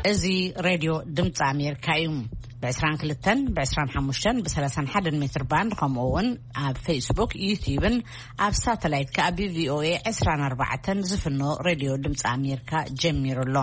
እዚ ሬድዮ ድምፂ ኣሜሪካ እዩ። ብ22፣ ብ25፣ ብ31 ሜትር ባንድ፣ ከምኡ እውን ኣብ ፌስቡክ፣ ዩቲዩብን ኣብ ሳተላይት ከኣ ብቪኦኤ 24 ዝፍኖ ሬድዮ ድምፂ ኣሜሪካ ጀሚሩ ኣሎ።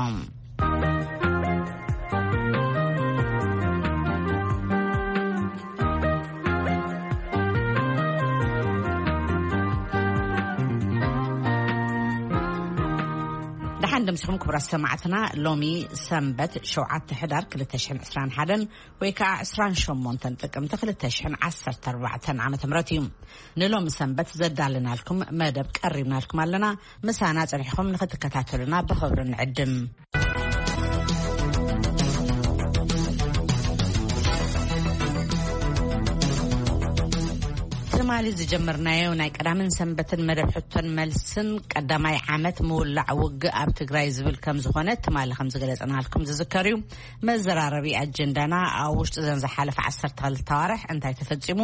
ደሓን ደምስኹም ክቡራት ሰማዕትና። ሎሚ ሰንበት 7 ሕዳር 2021 ወይ ከዓ 28 ጥቅምቲ 2014 ዓ.ም እዩ። ንሎሚ ሰንበት ዘዳለናልኩም መደብ ቀሪብናልኩም ኣለና። ምሳና ጸኒሕኩም ንኽትከታተሉና ብኽብሪ ንዕድም። ትማሊ ዝጀመርናዮ ናይ ቀዳምን ሰንበትን መደብ ሕቶን መልስን ቀዳማይ ዓመት ምውላዕ ውግእ ኣብ ትግራይ ዝብል ከም ዝኾነ ትማሊ ከም ዝገለጸናልኩም ዝዝከር እዩ። መዘራረቢ ኣጀንዳና ኣብ ውሽጢ ዘን ዝሓለፈ 12 ኣዋርሕ እንታይ ተፈጺሙ፣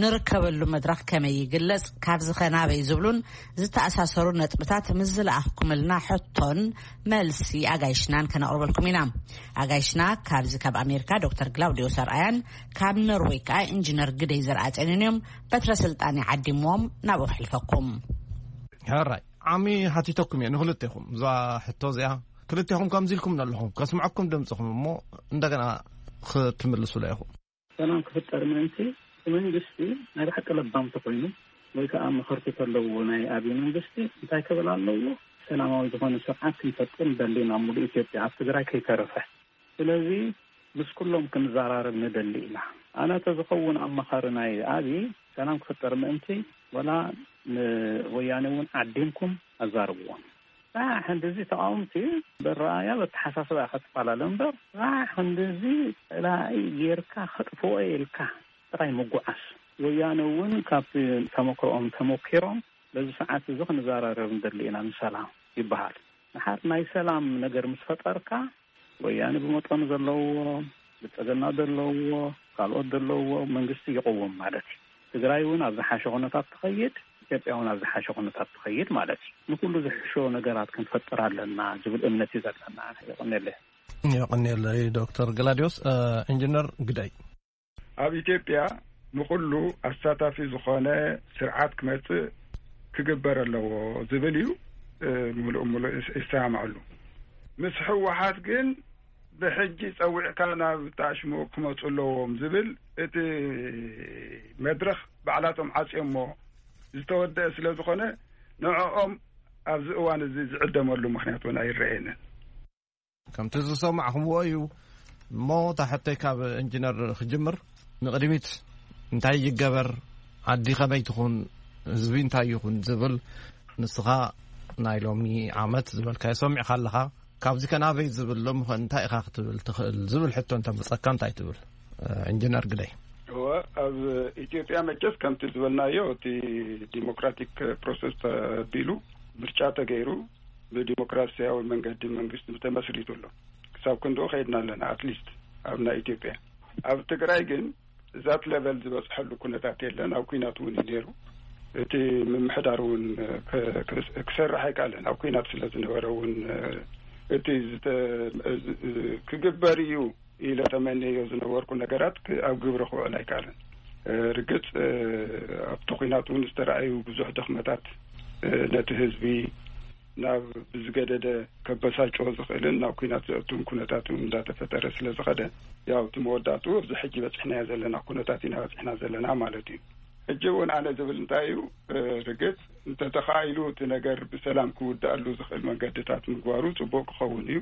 ንርከበሉ መድረኽ ከመይ ይግለጽ፣ ካብዚ ኸ ናበይ ዝብሉን ዝተኣሳሰሩ ነጥብታት ምስ ዝለኣኽኩምልና ሕቶን መልሲ ኣጋይሽናን ከነቕርበልኩም ኢና። ኣጋይሽና ካብዚ ካብ ኣሜሪካ ዶክተር ግላውዲዮስ ኣርኣያን ካብ ኖርዌይ ከኣ ኢንጂነር ግደይ ዘርኣጼንን እዮም። በትረ ስልጣን ይዓዲምዎም ናብኡ ክሕልፈኩም። ሕራይ ዓሚ ሓቲተኩም እየ ንክልቴኹም እዛ ሕቶ እዚኣ። ክልቴኹም ከምዚ ኢልኩም ኣለኹም፣ ከስምዐኩም ድምፅኹም እሞ እንደገና ክትምልሱላ ኢኹም። ሰላም ክፍጠር ምእንቲ እቲ መንግስቲ ናይ ብሓቂ ለባም ተኮይኑ ወይ ከዓ መኸርቲ ተለውዎ ናይ ኣብይ መንግስቲ እንታይ ክብል ኣለዎ? ሰላማዊ ዝኾነ ስርዓት ክንፈጥር ንደሊ ኢና፣ ሙሉእ ኢትዮጵያ ኣብ ትግራይ ከይተረፈ። ስለዚ ምስ ኩሎም ክንዘራረብ ንደሊ ኢና። ኣነ ተዝኸውን ኣማኻሪ ናይ ኣብይ ሰላም ክፍጠር ምእንቲ ወላ ንወያኔ እውን ዓዲምኩም ኣዛርብዎም። ራሕ ክንድዚ ተቃወምቲ ብረኣያ በተሓሳስባ ክትፈላለ እምበር ራሕ ክንድዚ ፀላኢ ጌርካ ከጥፍኦ ኢልካ ጥራይ ምጉዓዝ። ወያነ እውን ካብቲ ተመክሮኦም ተመኪሮም በዚ ሰዓት እዚ ክንዘራረብ ንደሊ ኢና ንሰላም ይበሃል። ንሓር ናይ ሰላም ነገር ምስ ፈጠርካ ወያነ ብመጠኑ ዘለውዎ ብልፅግና ዘለውዎ ካልኦት ዘለውዎ መንግስቲ ይቐውም ማለት እዩ። ትግራይ እውን ኣብ ዝሓሸ ኩነታት ትኸይድ፣ ኢትዮጵያ እውን ኣብ ዝሓሸ ኩነታት ትኸይድ ማለት እዩ። ንኩሉ ዝሕሾ ነገራት ክንፈጥር ኣለና ዝብል እምነት እዩ ዘለና። ይቕንየለይ። ይቕንየለይ ዶክተር ገላዲዮስ። ኢንጂነር ግደይ። ኣብ ኢትዮጵያ ንኹሉ ኣሳታፊ ዝኾነ ስርዓት ክመጽእ ክግበር ኣለዎ ዝብል እዩ። ምሉእ ምሉእ ይሰማማዓሉ። ምስ ህወሓት ግን ብሕጂ ጸዊዕካ ናብ ጣሽሙ ክመጹ ኣለዎም ዝብል እቲ መድረኽ ባዕላቶም ዓጽዮሞ ዝተወደአ ስለ ዝኾነ ንዕኦም ኣብዚ እዋን እዚ ዝዕደመሉ ምኽንያት እውን ኣይረኣየንን። ከምቲ ዝሰማዕኹምዎ እዩ። እሞ እታ ሕቶይ ካብ ኢንጂነር ክጅምር፣ ንቕድሚት እንታይ ይገበር፣ ዓዲ ከመይ ትኹን፣ ህዝቢ እንታይ ይኹን ዝብል ንስኻ ናይ ሎሚ ዓመት ዝበልካዮ ሰሚዕካ ኣለኻ። ካብዚ ከ ናበይ ዝብል ሎሚ ከ እንታይ ኢኻ ክትብል ትኽእል ዝብል ሕቶ እንተመጸካ እንታይ ትብል? ኢንጂነር ግደይ። እወ፣ ኣብ ኢትዮጵያ መቸስ ከምቲ ዝበልናዮ እቲ ዲሞክራቲክ ፕሮሰስ ተቢሉ ምርጫ ተገይሩ ብዲሞክራሲያዊ መንገዲ መንግስቲ ተመስሪቱ ኣሎ። ክሳብ ክንድኡ ከይድና ኣለና። ኣትሊስት ኣብ ናይ ኢትዮጵያ። ኣብ ትግራይ ግን እዛት ሌቨል ዝበፅሐሉ ኩነታት የለን። ኣብ ኩናት እውን እዩ ነይሩ። እቲ ምምሕዳር እውን ክሰርሕ ኣይከኣለን። ኣብ ኩናት ስለ ዝነበረ እውን እቲ ክግበር እዩ ኢለ ተመነዮ ዝነበርኩ ነገራት ኣብ ግብሪ ክውዕል ኣይከኣለን። ርግፅ ኣብቲ ኩናት እውን ዝተረኣዩ ብዙሕ ድኽመታት ነቲ ህዝቢ ናብ ብዝገደደ ከበሳጭዎ ዝኽእልን ናብ ኩናት ዘእቱን ኩነታት እውን እንዳተፈጠረ ስለ ዝኸደ፣ ያው እቲ መወዳእትኡ ኣብዚ ሕጂ በፂሕናዮ ዘለና ኩነታት ኢና በፂሕና ዘለና ማለት እዩ። ሕጂ እውን ኣነ ዝብል እንታይ እዩ፣ ርግፅ እንተተኻኢሉ እቲ ነገር ብሰላም ክውዳእሉ ዝኽእል መንገድታት ምግባሩ ፅቡቅ ክኸውን እዩ።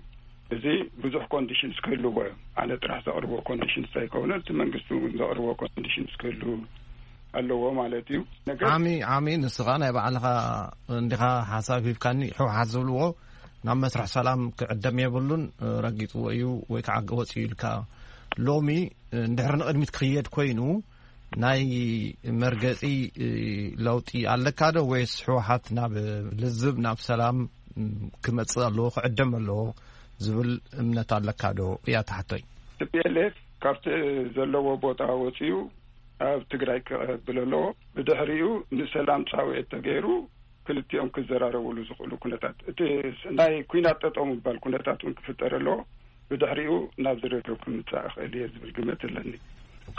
እዚ ብዙሕ ኮንዲሽንስ ክህልዎ እዮም። ኣነ ጥራሕ ዘቕርቦ ኮንዲሽንስ ኣይከውንን፣ እቲ መንግስቲ እውን ዘቕርቦ ኮንዲሽንስ ክህሉ ኣለዎ ማለት እዩ። ነገር ዓሚ ዓሚ ንስኻ ናይ ባዕልኻ እንዲኻ ሓሳብ ሂብካኒ። ሕወሓት ዝብልዎ ናብ መስርሕ ሰላም ክዕደም የብሉን፣ ረጊፅዎ እዩ ወይ ከዓ ወፂኡ ኢልካ። ሎሚ እንድሕር ንቕድሚት ክኽየድ ኮይኑ ናይ መርገፂ ለውጢ ኣለካ ዶ ወይስ ሕወሓት ናብ ልዝብ ናብ ሰላም ክመፅእ ኣለዎ ክዕደም ኣለዎ ዝብል እምነት ኣለካ ዶ እያ ትሓቶይ። ቲ ፒ ኤል ኤፍ ካብቲ ዘለዎ ቦታ ወፂኡ ኣብ ትግራይ ክቐብል ኣለዎ። ብድሕሪኡ ንሰላም ፃውዒት ተገይሩ ክልቲኦም ክዘራረብሉ ዝኽእሉ ኩነታት፣ እቲ ናይ ኩናት ጠጠው ምባል ኩነታት እውን ክፍጠር ኣለዎ። ብድሕሪኡ ናብ ዝርርብ ክምጻእ እኽእል እየ ዝብል ግምት ኣለኒ።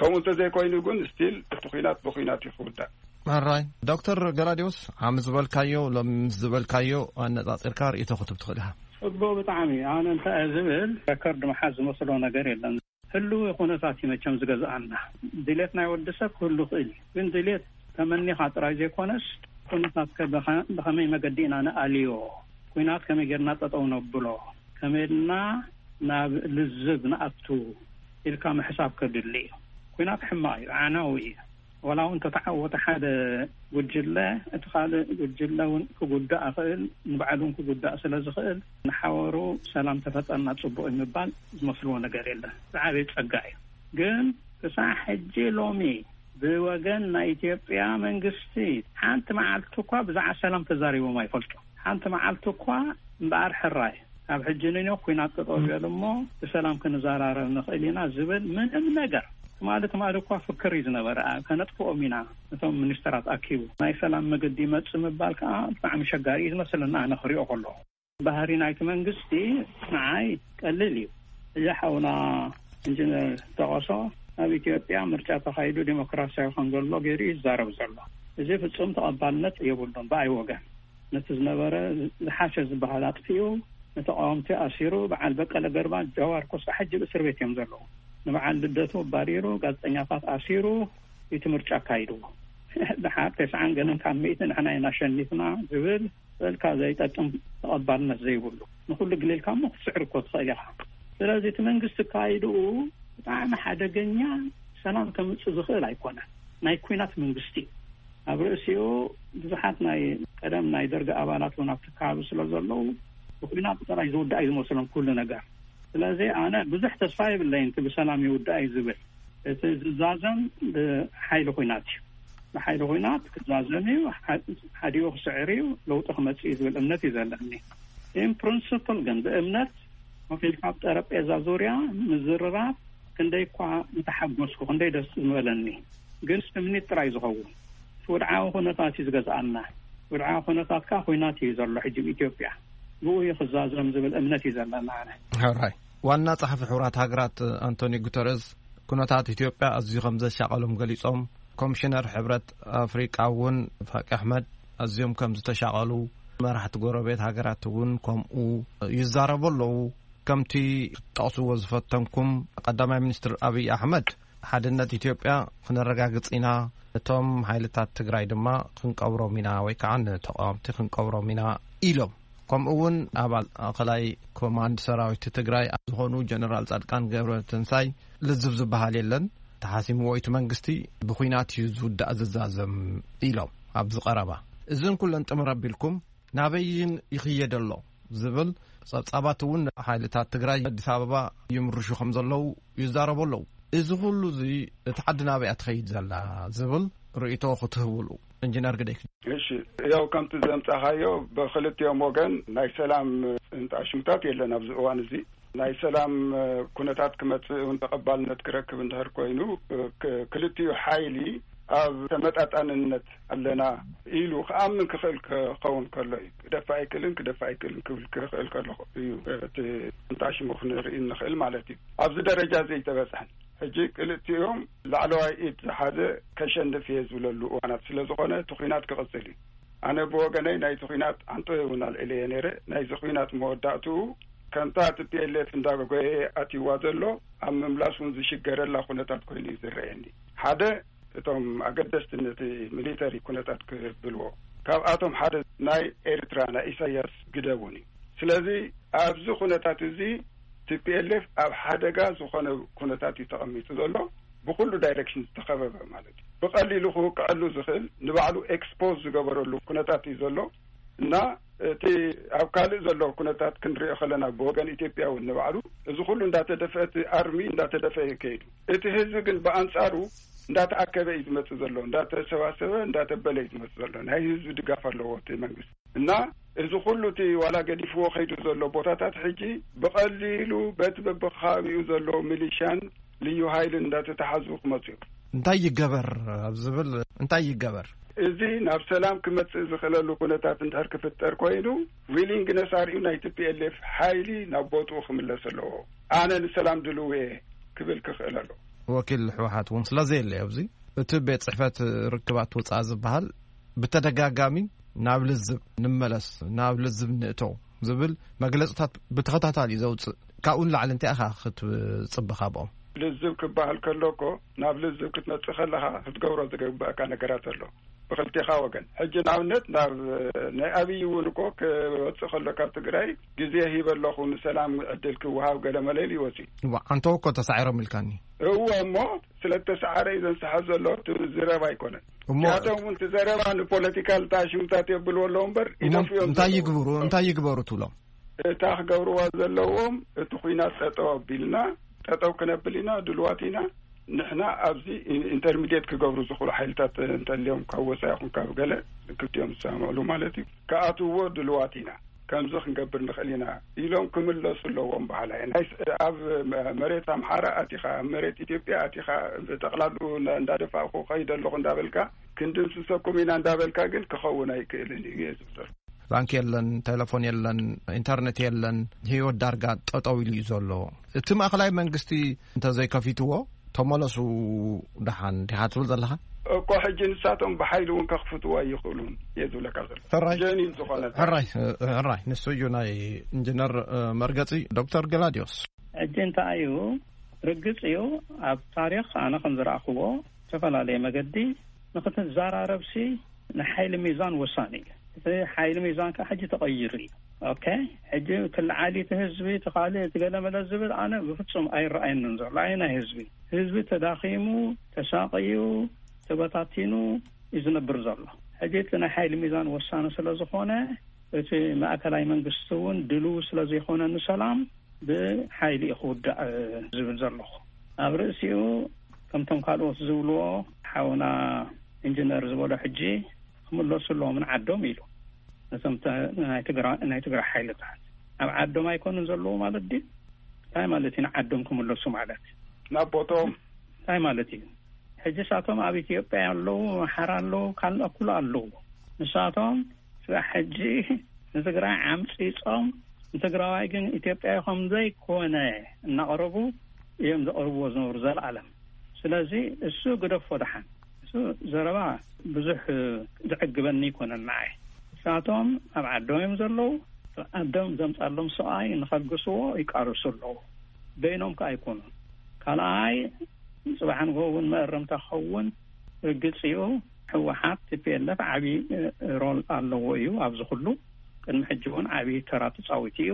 ከምኡ እንተዘይኮይኑ ግን ስቲል እቲ ኲናት ብኲናት እዩ ክውዳእ። ሕራይ ዶክተር ገላዲዮስ፣ ዓሚ ዝበልካዮ ሎሚ ምስ ዝበልካዮ ኣነጻጺርካ ርእይቶ ክትብ ትኽእል ኢኻ። ጽቡቕ ብጣዕሚ። ኣነ እንታይ እየ ዝብል፣ ረከርድ መሓዝ ዝመስሎ ነገር የለን። ህልዊ ኩነታት እዩ መቸም ዝገዝኣና። ድሌት ናይ ወዲ ሰብ ክህሉ ይኽእል እዩ፣ ግን ድሌት ተመኒኻ ጥራይ ዘይኮነስ ኩነታት ከ ብኸ- ብኸመይ መገዲ ኢና ንኣልዮ፣ ኩናት ከመይ ጌርና ጠጠው ነብሎ፣ ከመይ ልና ናብ ልዝብ ንኣቱ ኢልካ ምሕሳብ ከድሊ እዩ። ኩናት ሕማቕ እዩ፣ ዓናዊ እዩ። ወላ እውን ተተዓወተ ሓደ ጉጅለ፣ እቲ ካልእ ጉጅለ እውን ክጉዳእ ይኽእል፣ ንባዕሉ እውን ክጉዳእ ስለ ዝኽእል፣ ንሓበሩ ሰላም ተፈጠርና ጽቡቕ እዩ ምባል ዝመስልዎ ነገር የለን። ዝዓበየ ጸጋ እዩ። ግን ክሳዕ ሕጂ ሎሚ ብወገን ናይ ኢትዮጵያ መንግስቲ ሓንቲ መዓልቲ እኳ ብዛዕባ ሰላም ተዛሪቦም ኣይፈልጡ። ሓንቲ መዓልቲ እኳ እምበኣር ሕራይ ኣብ ሕጂ ንኖ ኩናት ጠጠው ይበል እሞ ብሰላም ክንዘራረብ ንኽእል ኢና ዝብል ምንም ነገር። ትማሊ ትማሊ እኳ ፍክር እዩ ዝነበረ፣ ከነጥፍኦም ኢና እቶም ሚኒስተራት ኣኪቡ። ናይ ሰላም መገዲ ይመጽእ ምባል ከዓ ብጣዕሚ ሸጋሪ እዩ ዝመስለና፣ ኣነ ክሪኦ ከለኹ። ባህሪ ናይቲ መንግስቲ ንዓይ ቀሊል እዩ። እዚ ሓውና ኢንጂነር ጠቐሶ፣ ኣብ ኢትዮጵያ ምርጫ ተኻይዱ ዲሞክራሲያዊ ከም ዘሎ ገይሩ እዩ ዝዛረብ ዘሎ። እዚ ፍጹም ተቐባልነት የብሉን ብኣይ ወገን። ነቲ ዝነበረ ዝሓሸ ዝበሃል ኣጥፊኡ፣ ንተቃወምቲ ኣሲሩ፣ በዓል በቀለ ገርባ፣ ጀዋር ኮስታ ሕጂ ብእስር ቤት እዮም ዘለዉ። ንበዓል ልደቱ ኣባሪሩ፣ ጋዜጠኛታት ኣሲሩ፣ እቲ ምርጫ ኣካይድዎ። ድሓር ተስዓን ገለን ካብ ሚእቲ ንሕና ኢና ኣሸኒፍና ዝብል በልካ ዘይጠቅም ተቐባልነት ዘይብሉ። ንኹሉ ግሌልካ እሞ ክትስዕር እኮ ትኽእል ኢኻ። ስለዚ እቲ መንግስቲ ኣካይድኡ ብጣዕሚ ሓደገኛ ሰላም ከምጽእ ዝኽእል ኣይኮነን። ናይ ኲናት መንግስቲ እዩ። ኣብ ርእሲኡ ብዙሓት ናይ ቀደም ናይ ደርጊ ኣባላት እውን ኣብቲ ከባቢ ስለ ዘለዉ ብኲናት ጥራይ ዝውዳእ እዩ ዝመስሎም ኩሉ ነገር። ስለዚ ኣነ ብዙሕ ተስፋ የብለይን እቲ ብሰላም ይውዳእ እዩ ዝብል። እቲ ዝዛዘም ብሓይሊ ኲናት እዩ። ብሓይሊ ኲናት ክዛዘም እዩ፣ ሓ- ሓዲኡ ክስዕር እዩ፣ ለውጢ ክመጽእ እዩ ዝብል እምነት እዩ ዘለኒ። ኢን ፕሪንስፕል ግን ብእምነት ኮፍ ኢልካ ኣብ ጠረጴዛ ዙርያ ምዝርራብ ክንደይ እኳ ምተሓጎስኩ፣ ክንደይ ደስ ምበለኒ። ግን ስምኒት ጥራይ ዝኸውን። እቲ ወድዓዊ ኩነታት እዩ ዝገዝኣና። ወድዓዊ ኩነታት ከኣ ኲናት እዩ ዘሎ ሕጂ ኣብ ኢትዮጵያ። ብኡ እዩ ክዛዘም ዝብል እምነት እዩ ዘለና ኣነ። ሕራይ ዋና ጸሓፊ ሕቡራት ሃገራት ኣንቶኒ ጉተረዝ ኩነታት ኢትዮጵያ ኣዝዩ ከም ዘሻቐሎም ገሊጾም። ኮሚሽነር ሕብረት ኣፍሪቃ እውን ፋቂ ኣሕመድ ኣዝዮም ከም ዝተሻቐሉ፣ መራሕቲ ጎረቤት ሃገራት እውን ከምኡ ይዛረቡ ኣለዉ። ከምቲ ክትጠቕስዎ ዝፈተንኩም፣ ቀዳማይ ሚኒስትር ኣብይ ኣሕመድ ሓድነት ኢትዮጵያ ክነረጋግጽ ኢና፣ እቶም ሓይልታት ትግራይ ድማ ክንቀብሮም ኢና ወይ ከዓ ንተቃወምቲ ክንቀብሮም ኢና ኢሎም። ከምኡ እውን ኣባል ማእኸላይ ኮማንድ ሰራዊት ትግራይ ዝኾኑ ጀነራል ጻድቃን ገብረ ትንሳይ ልዝብ ዝበሃል የለን፣ ተሓሲምዎ እቲ መንግስቲ ብኹናት እዩ ዝውዳእ ዝዛዘም ኢሎም ኣብዚ ቀረባ። እዝን ኩለን ጥምር ኣቢልኩም ናበይን ይኽየድ ኣሎ ዝብል ጸብጻባት እውን ሓይልታት ትግራይ ኣዲስ ኣበባ ይምርሹ ከም ዘለዉ ይዛረቡ ኣለዉ። እዚ ኩሉ እዚ እቲ ዓዲ ናበይኣ ትኸይድ ዘላ ዝብል ርእይቶ ክትህብሉ። ኢንጂነር ግደይ። እሺ፣ ያው ከምቲ ዘምጻኻዮ ብክልቲኦም ወገን ናይ ሰላም እንጣሽምታት የለን ኣብዚ እዋን እዚ። ናይ ሰላም ኩነታት ክመጽእ እውን ተቐባልነት ክረክብ እንድሕር ኮይኑ፣ ክ- ክልቲኡ ሓይሊ ኣብ ተመጣጣንነት ኣለና ኢሉ ክኣምን ክኽእል ክኸውን ከሎ እዩ። ክደፍእ ኣይክእልን፣ ክደፍእ ኣይክእልን ክብል ክኽእል ከሎ እዩ እቲ እንጣሽሙ ክንርኢ እንኽእል ማለት እዩ። ኣብዚ ደረጃ ዘይተበጽሐን ሕጂ ክልቲኦም ላዕለዋይ ኢድ ዝሓዘ ከሸንፍ እየ ዝብለሉ እዋናት ስለ ዝኾነ እቲ ኲናት ክቕጽል እዩ። ኣነ ብወገነይ ናይቲ ኲናት ኣንጠዮ እውን ኣልዒለየ ነይረ። ናይዚ ኲናት መወዳእትኡ ከምታ ቲ ፒ ኤል ኤፍ እንዳጎየ ኣትይዋ ዘሎ ኣብ ምምላስ እውን ዝሽገረላ ኩነታት ኮይኑ እዩ ዝረኣየኒ። ሓደ እቶም ኣገደስቲ ነቲ ሚሊተሪ ኩነታት ክብልዎ፣ ካብኣቶም ሓደ ናይ ኤርትራ ናይ ኢሳያስ ግደቡን እዩ። ስለዚ ኣብዚ ኩነታት እዚ ቲ ፒ ኤል ኤፍ ኣብ ሓደጋ ዝኾነ ኩነታት እዩ ተቐሚጡ ዘሎ፣ ብኩሉ ዳይሬክሽን ዝተኸበበ ማለት እዩ። ብቐሊሉ ክውቅዐሉ ዝኽእል ንባዕሉ ኤክስፖዝ ዝገበረሉ ኩነታት እዩ ዘሎ እና እቲ ኣብ ካልእ ዘሎ ኩነታት ክንሪኦ ከለና ብወገን ኢትዮጵያ እውን ንባዕሉ እዚ ኩሉ እንዳተደፍአ እቲ ኣርሚ እንዳተደፍአ እዩ ከይዱ። እቲ ህዝቢ ግን ብኣንጻሩ እንዳተኣከበ እዩ ዝመጽእ ዘሎ፣ እንዳተሰባሰበ እንዳተበለ እዩ ዝመጽእ ዘሎ። ናይ ህዝቢ ድጋፍ ኣለዎ እቲ መንግስቲ። እና እዚ ኩሉ እቲ ዋላ ገዲፍዎ ከይዱ ዘሎ ቦታታት ሕጂ ብቐሊሉ በቲ በብከባቢኡ ዘሎ ሚሊሻን ልዩ ሃይልን እንዳተተሓዙ ክመፁ እዮም። እንታይ ይገበር ኣብ ዝብል እንታይ ይገበር? እዚ ናብ ሰላም ክመጽእ ዝኽእለሉ ኩነታት እንድሕር ክፍጠር ኮይኑ፣ ዊሊንግነስ ኣርእዩ ናይ ቲ ፒ ኤል ኤፍ ሓይሊ ናብ ቦትኡ ክምለስ ኣለዎ። ኣነ ንሰላም ድልው እየ ክብል ክኽእል ኣለዎ። ወኪል ህወሓት እውን ስለ ዘየለ ኣብዚ እቲ ቤት ጽሕፈት ርክባት ወጻኢ ዝበሃል ብተደጋጋሚ ናብ ልዝብ ንመለስ፣ ናብ ልዝብ ንእቶ ዝብል መግለጽታት ብተኸታታሊ ዘውጽእ፣ ካብኡ ንላዕሊ እንታይ ኢኻ ክትጽበ ካብኦም? ልዝብ ክበሃል ከሎ እኮ ናብ ልዝብ ክትመጽእ ከለኻ ክትገብሮ ዝግበኣካ ነገራት ኣሎ ብክልቴኻ ወገን። ሕጂ ንኣብነት ናብ ናይ ኣብይ እውን እኮ ክወጽእ ከሎ ካብ ትግራይ ግዜ ሂበ ኣለኹ ንሰላም ዕድል ክወሃብ ገለ መለ ኢሉ ይወጽእ። እዋ፣ ኣንተው እኮ ተሳዒሮም ኢልካኒ። እወ፣ እሞ ስለ ተሰዓረ እዩ ዘንስሓ ዘሎ፣ እቲ ዝረባ ኣይኮነን። እሞ እዚኣቶም እውን እቲ ዘረባ ንፖለቲካል ጣሽሙታት የብልዎ ኣለዉ እምበር እሞ ይደፍኡ እዮም እንታይ ዘለዉ። ይግብሩ፣ እንታይ ይግበሩ ትብሎም? እታ ክገብርዋ ዘለዎም፣ እቲ ኹናት ጠጠው ኣቢልና፣ ጠጠው ክነብል ኢና፣ ድልዋት ኢና። ንሕና ኣብዚ ኢንተርሚዲየት ክገብሩ ዝኽእሉ ሓይልታት እንተልዮም፣ ካብ ወፃኢ ይኹን ካብ ገለ ክልቲኦም ዝሰማምዕሉ ማለት እዩ፣ ክኣትውዎ ድልዋት ኢና። ከምዚ ክንገብር ንኽእል ኢና ኢሎም ክምለሱ ኣለዎም በሃላይ። ናይ ስ-፣ ኣብ መ-፣ መሬት ኣምሓራ ኣቲኻ፣ ኣብ መሬት ኢትዮጵያ ኣቲኻ፣ ብጠቕላሉ እንዳ-፣ እንዳደፋእኩ ከይደ ኣለኹ እንዳበልካ፣ ክንድምስሰኩም ኢና እንዳበልካ ግን ክኸውን ኣይክእልን እዩ እየ ዝብል ዘሎ። ባንክ የለን፣ ቴሌፎን የለን፣ ኢንተርኔት የለን፣ ህይወት ዳርጋ ጠጠው ኢሉ እዩ ዘሎ። እቲ ማእኸላይ መንግስቲ እንተዘይከፊትዎ፣ ተመለሱ ደሓን ዲኻ ትብል ዘለኻ? እኮ ሕጂ ንሳቶም ብሓይሊ እውን ከኽፍትዎ ኣይኽእሉን እየ ዝብለካ ዘሎ። ሕራይ። ጀኒን ዝኾነ ሕራይ፣ ሕራይ። ንሱ እዩ ናይ ኢንጂነር፣ እ፣ መርገጺ። ዶክተር ገላዲዮስ። ሕጂ እንታይ እዩ? ርግጽ እዩ፣ ኣብ ታሪኽ ኣነ ከም ዝረኣኽዎ ዝተፈላለየ መገዲ ንኽትዘራረብሲ ንሓይሊ ሚዛን ወሳኒ እዩ። እቲ ሓይሊ ሚዛን ከዓ ሕጂ ተቐይሩ እዩ። ኦኬ፣ ሕጂ ክልዓሊ እቲ ህዝቢ፣ እቲ ካልእ፣ እቲ ገለመለ ዝብል ኣነ ብፍጹም ኣይረኣየንን ዘሎ። ኣየናይ ህዝቢ? ህዝቢ ተዳኺሙ፣ ተሳቕዩ፣ ተበታቲኑ እዩ ዝነብር ዘሎ። ሕጂ እቲ ናይ ሓይሊ ሚዛን ወሳኒ ስለ ዝኾነ፣ እቲ ማእከላይ መንግስቲ እውን ድልው ስለ ዘይኮነ ንሰላም፣ ብሓይሊ እዩ ክውዳእ ዝብል ዘለኹ። ኣብ ርእሲኡ፣ ከምቶም ካልኦት ዝብልዎ፣ ሓውና ኢንጂነር ዝበሎ ሕጂ ክምለሱ ኣለዎም ንዓዶም ኢሉ። ነቶም ተ-፣ ናይ ትግራ-፣ ናይ ትግራይ ሓይልታት ኣብ ዓዶም ኣይኮኑን ዘለዉ ማለት ድዩ? እንታይ ማለት እዩ ንዓዶም ክምለሱ ማለት? ናብ ቦቶም። እንታይ ማለት እዩ? ሕጂ ንሳቶም ኣብ ኢትዮጵያ ኣለዉ፣ ኣምሓራ ኣለዉ፣ ካልእ ኩሉ ኣለዉ። ንሳቶም ስራሕ ሕጂ ንትግራይ ዓምፂፆም፣ ንትግራዋይ ግን ኢትዮጵያዊ ከም ዘይኮነ እናቕረቡ እዮም ዘቕርብዎ ዝነበሩ ዘለኣለም። ስለዚ እሱ ግደፎ ደሓን። እሱ ዘረባ ብዙሕ ዘዕግበኒ ኣይኮነን ንዓይ። ንሳቶም ኣብ ዓዶም እዮም ዘለዉ። ዓዶም ዘምፃሎም ሰብኣይ ንኸግስዎ ይቃለሱ ኣለዉ። በይኖም ከኣ ኣይኮኑን። ካልኣይ፣ ጽባሕ ንግሆ እውን መእረምታ ክኸውን ርግጽ እዩ። ህወሓት፣ ቲ ፒ ኤል ኤፍ ዓቢ፣ እ፣ ሮል ኣለዎ እዩ ኣብዚ ኩሉ። ቅድሚ ሕጂ እውን ዓቢ ተራ ተጻዊቱ እዩ።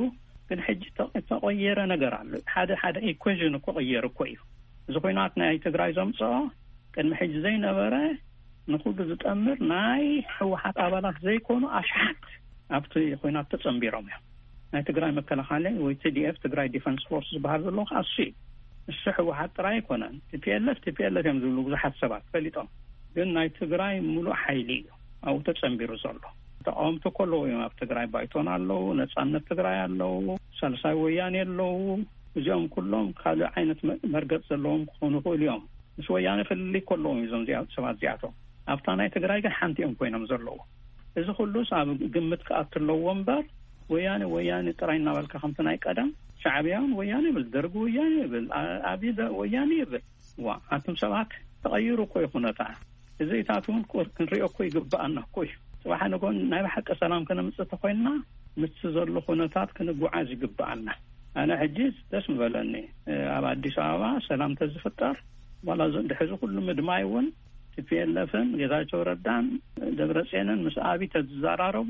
ግን ሕጂ ተ-፣ እተቐየረ ነገር ኣሎ። ሓደ ሓደ ኢኩዌዥን እኮ ቅየር እኮ እዩ። እዚ ኲናት ናይ ትግራይ ዘምጽኦ ቅድሚ ሕጂ ዘይነበረ ንኹሉ ዝጠምር ናይ ህወሓት ኣባላት ዘይኮኑ ኣሽሓት ኣብቲ ኲናት ተጸንቢሮም እዮም። ናይ ትግራይ መከላኸሊ ወይ ቲ ዲ ኤፍ፣ ትግራይ ዲፈንስ ፎርስ ዝበሃል ዘሎ ከዓ እሱ እዩ። እሱ ህወሓት ጥራይ ኣይኮነን። ቲ ፒ ኤል ኤፍ፣ ቲ ፒ ኤል ኤፍ እዮም ዝብሉ ብዙሓት ሰባት ፈሊጦም። ግን ናይ ትግራይ ሙሉእ ሓይሊ እዩ ኣብኡ ተጸንቢሩ ዘሎ። ተቃወምቲ እኮ ኣለዉ እዮም ኣብ ትግራይ፣ ባይቶና ኣለዉ፣ ነጻነት ትግራይ ኣለዉ፣ ሳልሳይ ወያኔ ኣለዉ። እዚኦም ኩሎም ካልእ ዓይነት መ-፣ መርገጽ ዘለዎም ክኾኑ ይኽእሉ እዮም። ምስ ወያነ ፍልልይ ከለዎም እዩ እዞም እዚኣ-፣ ሰባት እዚኣቶም። ኣብታ ናይ ትግራይ ግን ሓንቲ እዮም ኮይኖም ዘለዉ። እዚ ኩሉስ ኣብ ግምት ክኣቱ ኣለዎ እምበር፣ ወያነ፣ ወያነ ጥራይ እናበልካ ከምቲ ናይ ቀደም፣ ሻዕብያ እውን ወያነ ይብል፣ ደርጊ ወያነ ይብል፣ ኣ-፣ ኣብይ ደ-፣ ወያነ ይብል። ዋ፣ ኣቱም ሰባት ተቐይሩ እኮ እዩ ኩነታ። እዚ ኢታት እውን ቁር-፣ ክንሪኦ እኮ ይግብኣና እኮ እዩ። ጽባሕ ንጎን ናይ ብሓቂ ሰላም ከነምጽእ ተኾይንና፣ ምስቲ ዘሎ ኩነታት ክንጓዓዝ ይግብኣና። ኣነ ሕጂ ደስ ምበለኒ፣ እ፣ ኣብ ኣዲስ ኣበባ ሰላም ተዝፍጠር፣ ዋላ እዚ ድሕዚ ኩሉ ምድማይ እውን ቲ ፒ ኤል ኤፍን ጌታቸው ረዳን ደብረጽዮንን ምስ ኣብይ ተዝዘራረቡ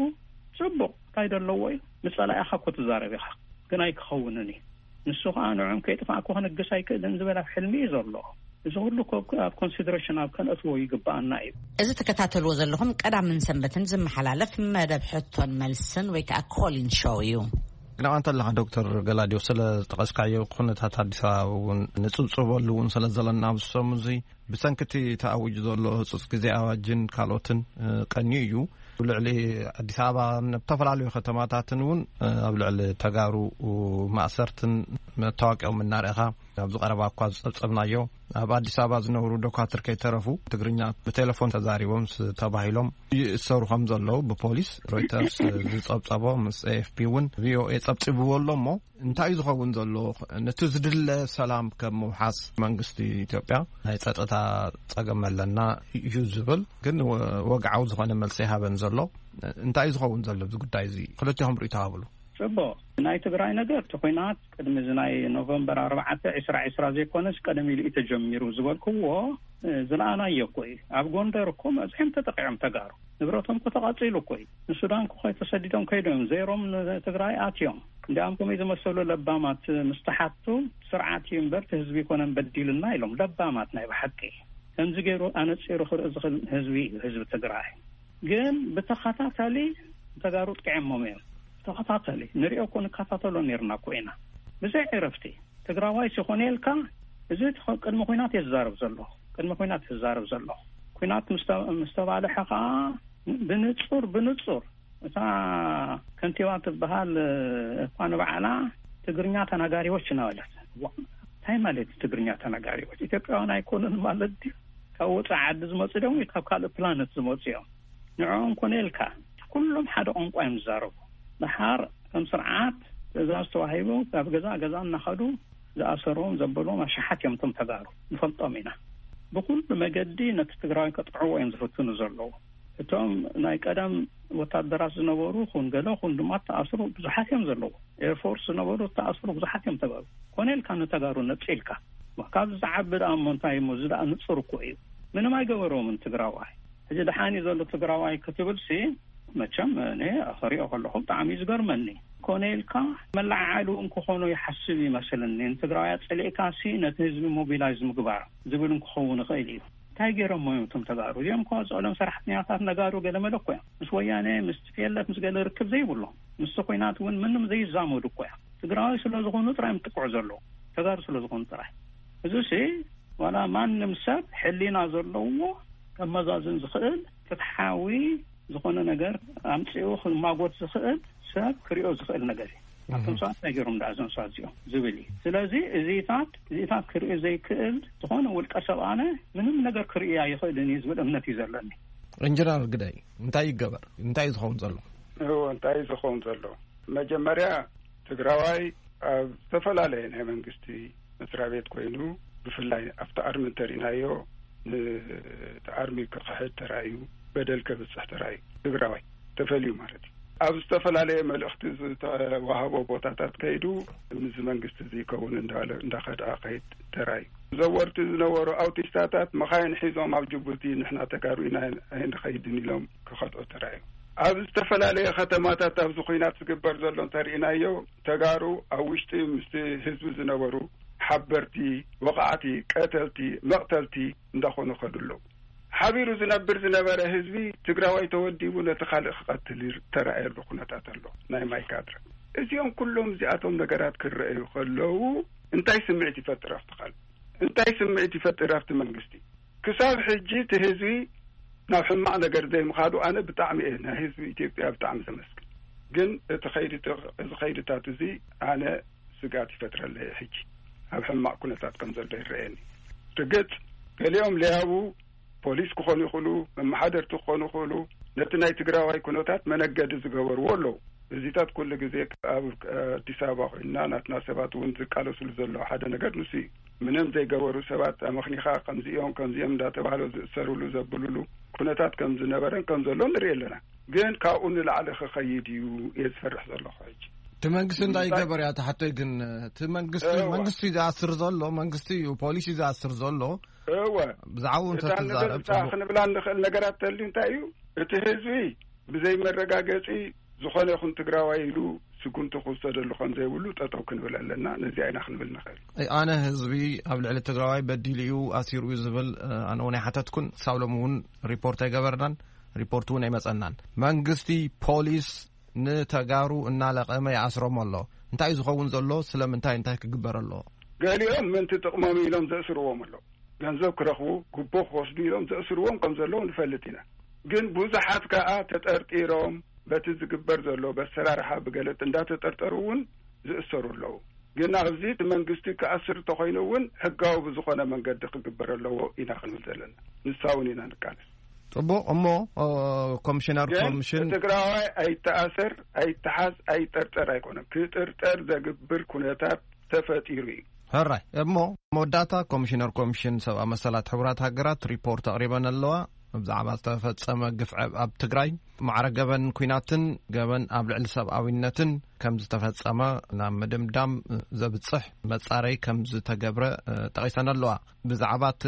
ጽቡቕ፣ እንታይ ደለዎ እዩ? ምስ ጸላኢኻ እኮ ትዛረብ ኢኻ፣ ግን ኣይክኸውንን እዩ። ንሱ ኸኣ ንዕኦም ከይጥፋእኩ ክንግስ ኣይክእልን ዝበል ኣብ ሕልሚ እዩ ዘሎ። እዚ ኩሉ እኮ ኣብ ኮንሲደሬሽን ኣብ ከነእትዎ ይግብኣና እዩ። እዚ ትከታተልዎ ዘለኹም ቀዳምን ሰንበትን ዝመሓላለፍ መደብ ሕቶን መልስን ወይ ከዓ ኮሊን ሾው እዩ። ግን ኣንተ ኣለኻ ዶክተር ገላዲዮ፣ ስለ ዝጠቐስካዮ ኩነታት ኣዲስ ኣበባ እውን ንጽብጽበሉ እውን ስለ ዘለና ኣብዚ ሰሙን እዚ ብሰንኪ እቲ ተኣዊጁ ዘሎ ህጹጽ ግዜ ኣዋጅን ካልኦትን፣ እ፣ ቀንዩ እዩ። ኣብ ልዕሊ ኣዲስ ኣበባ ኣብ ዝተፈላለዩ ከተማታትን እውን፣ እ፣ ኣብ ልዕሊ ተጋሩ ማእሰርትን መታወቂኦም እናርኣኻ ኣብዚ ቀረባ እኳ ዝጸብጸብናዮ፣ ኣብ ኣዲስ ኣበባ ዝነብሩ ዶካትር ከይተረፉ ትግርኛ ብቴሌፎን ተዛሪቦም ስ-፣ ተባሂሎም ይእሰሩ ከም ዘለዉ ብፖሊስ ሮይተርስ ዝጸብጸቦ፣ ምስ ኤ ኤፍ ፒ እውን ቪ ኦ ኤ ጸብጺብዎ ኣሎ። እሞ እንታይ እዩ ዝኸውን ዘሎ? ነቲ ዝድለ ሰላም ከም ምውሓስ መንግስቲ ኢትዮጵያ ናይ ጸጥታ ጸገም ኣለና እዩ ዝብል፣ ግን ወ-፣ ወግዓዊ ዝኾነ መልሲ ኣይሃበን ዘሎ። እንታይ እዩ ዝኸውን ዘሎ ኣብዚ ጉዳይ እዚ? ክልቲኹም ርእይቶ ሃብሉ። ጽቡቕ። ናይ ትግራይ ነገር፣ እቲ ኲናት ቅድሚ እዚ ናይ ኖቨምበር ኣርባዕተ ዕስራ ዕስራ ዘይኮነስ ቀደም ኢሉ እዩ ተጀሚሩ ዝበልክዎ፣ እ፣ ዝለኣናዮ እኮ እዩ። ኣብ ጎንደር እኮ መብዝሖም ተጠቂዖም ተጋሩ። ንብረቶም እኮ ተቓጺሉ እኮ እዩ። ንሱዳን እኮ ተሰዲዶም ከይዶም፣ ዜሮም ንትግራይ ኣትዮም። እንዲኣም ከመይ ዝመሰሉ ለባማት ምስ ተሓቱ፣ ስርዓት እዩ እምበር እቲ ህዝቢ ይኮነን በዲልና ኢሎም። ለባማት ናይ ብሓቂ። ከምዚ ገይሩ ኣነጺሩ ክርኢ ዝኽእል ህዝቢ እዩ ህዝቢ ትግራይ። ግን ብተኸታታሊ ተጋሩ ጥቂዖሞም እዮም። ብተኸታታሊ ንሪኦ እኮ ንከታተሎ ነርና እኮ ኢና። ብዘይ ዕረፍቲ ትግራዋይ ሲኾነ ኢልካ፣ እዚ ተኸ-፣ ቅድሚ ኲናት እየ ዝዛረብ ዘለኹ። ቅድሚ ኲናት እየ ዝዛረብ ዘለኹ። ኲናት ምስ ተ-፣ ምስ ተባልሐ ኸዓ ብንጹር፣ ብንጹር እታ ከንቲባ ትበሃል እኳ ንባዕላ ትግርኛ ተናጋሪዎች እናበለት። ዋ-፣ እንታይ ማለት ትግርኛ ተናጋሪዎች? ኢትዮጵያውያን ኣይኮኑን ማለት ድዩ? ካብ ወፃኢ ዓዲ ዝመፁ ዶም ካብ ካልእ ፕላነት ዝመፁ እዮም። ንዕኦም ኮነ ኢልካ ኩሎም ሓደ ቋንቋ እዮም ዝዛረቡ። ደሓር ከም ስርዓት ትእዛዝ ተዋሂቡ ካብ ገዛ ገዛ እናኸዱ ዝኣሰርዎም ዘበልዎም ኣሽሓት እዮም እቶም ተጋሩ። ንፈልጦም ኢና። ብኩሉ መገዲ ነቲ ትግራዋይ ከጥዕዎ እዮም ዝፍትኑ ዘለዉ። እቶም ናይ ቀደም ወታደራት ዝነበሩ ኩን ገለ ኩን ድማ ተኣስሩ ብዙሓት እዮም ዘለዉ። ኤርፎርስ ዝነበሩ ተኣስሩ ብዙሓት እዮም ተጋሩ። ኮነ ኢልካ ንተጋሩ ነፂልካ። ካብዚ ዝዓቢ ደኣ እሞ እንታይ እሞ፣ እዚ ደኣ ንፁር እኮ እዩ። ምንም ኣይገበሮምን ትግራዋይ። ሕጂ ደሓን እዩ ዘሎ ትግራዋይ ክትብል ሲ፣ መቸም እኔ ክሪኦ ከለኹ ብጣዕሚ እዩ ዝገርመኒ። ኮነ ኢልካ መለዓዓሊ እውን ክኾኖ ይሓስብ ይመስለኒ። ንትግራዋይ ኣጸሊእካ ሲ ነቲ ህዝቢ ሞቢላይዝ ምግባር ዝብል እውን ክኸውን ይኽእል እዩ። እንታይ ገይሮሞ እዮም እቶም ተጋሩ? እዚኦም እኮ ዝዕሎም ሰራሕተኛታት ነጋዶ ገለመለ እኮ እዮም። ምስ ወያነ፣ ምስ ቲ ፒ ኤል ኤፍ፣ ምስ ገለ ርክብ ዘይብሎም። ምስቲ ኲናት እውን ምንም ዘይዛመዱ እኮ እዮም። ትግራዋይ ስለ ዝኾኑ ጥራይ እዮም ጥቅዑ ዘለዉ። ተጋሩ ስለ ዝኾኑ ጥራይ። እዚ ሲ ዋላ ማንም ሰብ ሕሊና ዘለዎ ከመዛዝን ዝኽእል ፍትሓዊ ዝኾነ ነገር ኣምጺኡ ክማጎት ዝኽእል ሰብ ክሪኦ ዝኽእል ነገር እዩ። ኣቶም ሰባት እንታይ ገይሮም ደኣ እዞም ሰባት እዚኦም ዝብል እዩ። ስለዚ እዚታት፣ እዚታት ክሪኦ ዘይክእል ዝኾነ ውልቀ ሰብ ኣነ ምንም ነገር ክርኢ ኣይኽእልን እዩ ዝብል እምነት እዩ ዘለኒ። ኢንጂነር ግደይ፣ እንታይ ይገበር? እንታይ እዩ ዝኸውን ዘሎ? እዎ፣ እንታይ እዩ ዝኸውን ዘሎ? መጀመርያ ትግራዋይ ኣብ ዝተፈላለየ ናይ መንግስቲ መስሪያ ቤት ኮይኑ፣ ብፍላይ ኣብቲ ኣርሚ እንተሪእናዮ፣ ነቲ ኣርሚ ክኽሕድ ተራእዩ፣ በደል ከብፅሕ ተራእዩ፣ ትግራዋይ ተፈልዩ ማለት እዩ። ኣብ ዝተፈላለየ መልእኽቲ ዝተዋህቦ ቦታታት ከይዱ፣ ምስዚ መንግስቲ እዚ ይከውን እንዳበለ እንዳኸድዐ ከይድ ተራእዩ። ዘወርቲ ዝነበሩ ኣውቲስታታት መኻይን ሒዞም ኣብ ጅቡቲ ንሕና ተጋሩ ኢና ኣይንኸይድን ኢሎም ክኸድዑ ተራእዩ። ኣብ ዝተፈላለየ ከተማታት ኣብዚ ኲናት ዝግበር ዘሎ እንተርኢናዮ፣ ተጋሩ ኣብ ውሽጢ ምስቲ ህዝቢ ዝነበሩ ሓበርቲ፣ ወቓዕቲ፣ ቀተልቲ፣ መቕተልቲ እንዳኾኑ ከዱ ኣለዉ። ሓቢሩ ዝነብር ዝነበረ ህዝቢ ትግራዋይ ተወዲቡ ነቲ ካልእ ክቐትል ይር-፣ ተራእየሉ ኩነታት ኣሎ። ናይ ማይካድራ። እዚኦም ኩሎም እዚኣቶም ነገራት ክረኣዩ ከለዉ እንታይ ስምዒት ይፈጥር ኣብቲ ካልእ? እንታይ ስምዒት ይፈጥር ኣብቲ መንግስቲ? ክሳብ ሕጂ እቲ ህዝቢ ናብ ሕማቕ ነገር ዘይምኻዱ ኣነ ብጣዕሚ እየ ናይ ህዝቢ ኢትዮጵያ ብጣዕሚ ዘመስግን። ግን እቲ ኸይዲ፣ እዚ ኸይድታት እዚ ኣነ ስግኣት ይፈጥረለይ ሕጂ። ኣብ ሕማቕ ኩነታት ከም ዘሎ ይረኣየኒ። ርግጽ፣ ገሊኦም ለያቡ ፖሊስ ክኾኑ ይኽእሉ፣ መመሓደርቲ ክኾኑ ይኽእሉ፣ ነቲ ናይ ትግራዋይ ኩነታት መነገዲ ዝገበርዎ ኣለዉ። እዚታት ኩሉ ግዜ ኣብ ኣዲስ ኣበባ ኮይንና ናትና ሰባት እውን ዝቃለሱሉ ዘለዉ ሓደ ነገር ንሱ እዩ። ምንም ዘይገበሩ ሰባት ኣመኽኒኻ ከምዚኦም ከምዚኦም እንዳተባህሉ ዝእሰሩሉ ዘብሉሉ ኩነታት ከም ዝነበረን ከም ዘሎ ንርኢ ኣለና። ግን ካብኡ ንላዕሊ ክኸይድ እዩ እየ ዝፈርሕ ዘለኹ ሕጂ። እቲ መንግስቲ እንታይ እንታይ ይገበር እያ ትሓቶይ? ግን እቲ መንግስቲ፣ እወ። መንግስቲ እዩ ዝኣስር ዘሎ፣ መንግስቲ እዩ፣ ፖሊሲ ዝኣስር ዘሎ። እወ። ብዛዕባኡ እታ እንተትዛረብ ንብል-፣ እታ ጽቡቕ። ክንብላ እንኽእል ነገራት ተልዩ እንታይ እዩ? እቲ ህዝቢ ብዘይ መረጋገጺ ዝኾነ ይኹን ትግራዋይ ኢሉ ስጉምቲ ክውሰደሉ ከም ዘይብሉ ጠጠው ክንብል ኣለና። ነዚኣ ኢና ክንብል ንኽእል። ኣይ፣ ኣነ ህዝቢ ኣብ ልዕሊ ትግራዋይ በዲሉ እዩ፣ ኣሲሩ እዩ ዝብል፣ እ፣ ኣነ እውን ኣይሓተትኩን። ክሳብ ሎሚ እውን ሪፖርት ኣይገበርናን፣ ሪፖርት እውን ኣይመጸናን። መንግስቲ፣ ፖሊስ ንተጋሩ እናለቐመ ይኣስሮም ኣሎ። እንታይ እዩ ዝኸውን ዘሎ? ስለምንታይ? እንታይ ክግበር ኣለዎ? ገሊኦም ምእንቲ ጥቕሞም ኢሎም ዘእስርዎም ኣለዉ። ገንዘብ ክረኽቡ፣ ጉቦ ክወስዱ ኢሎም ዘእስርዎም ከም ዘለዉ ንፈልጥ ኢና። ግን ብዙሓት ከኣ ተጠርጢሮም በቲ ዝግበር ዘሎ በሰራርሓ ብገለጽ እንዳተጠርጠሩ እውን ዝእሰሩ ኣለዉ። ግን ኣብዚ እቲ መንግስቲ ክኣስር እንተኾይኑ እውን ሕጋዊ ብዝኾነ መንገዲ ክግበር ኣለዎ ኢና ክንብል ዘለና። ንሳ እውን ኢና ንቃለስ። ጽቡቕ። እሞ ኮሚሽነር ኮሚሽን ትግራዋይ ኣይተኣሰር፣ ኣይተሓዝ፣ ኣይጠርጠር ኣይኮነን። ክጥርጠር ዘግብር ኩነታት ተፈጢሩ እዩ። ሕራይ። እሞ መወዳእታ፣ ኮሚሽነር ኮሚሽን ሰብኣዊ መሰላት ሕቡራት ሃገራት ሪፖርት ኣቕሪበን ኣለዋ። ብዛዕባ ዝተፈጸመ ግፍዐ ኣብ ትግራይ፣ ማዕረ ገበን ኩናትን ገበን ኣብ ልዕሊ ሰብኣዊነትን ከም ዝተፈጸመ ናብ ምድምዳም ዘብጽሕ መጻረይ ከም ዝተገብረ ጠቒሰን ኣለዋ። ብዛዕባ እቲ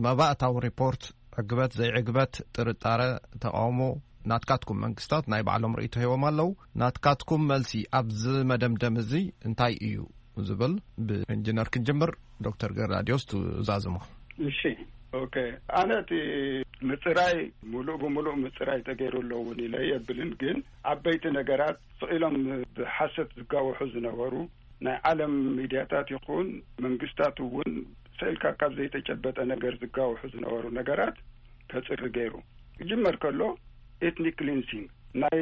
መባእታዊ ሪፖርት፣ ዕግበት ዘይዕግበት፣ ጥርጣረ፣ ተቓውሞ፣ ናትካትኩም መንግስታት ናይ ባዕሎም ርእይቶ ሂቦም ኣለዉ። ናትካትኩም መልሲ ኣብዚ መደምደም እዚ እንታይ እዩ ዝብል፣ ብኢንጂነር ክንጅምር። ዶክተር ገላዲዮስ ትዛዝሞ። እሺ። ኦኬ። ኣነ እቲ ምጽራይ፣ ሙሉእ ብሙሉእ ምጽራይ ተገይሩ ኣሎ እውን ኢለ የብልን። ግን ዓበይቲ ነገራት ስቕ ኢሎም ብሓሰት ዝጋወሑ ዝነበሩ፣ ናይ ዓለም ሚድያታት ይኹን መንግስታት እውን ስቕ ኢልካ ካብ ዘይተጨበጠ ነገር ዝጋወሑ ዝነበሩ ነገራት ከጽሪ ገይሩ። ክጅመር ከሎ፣ ኤትኒክ ክሊንሲንግ፣ ናይ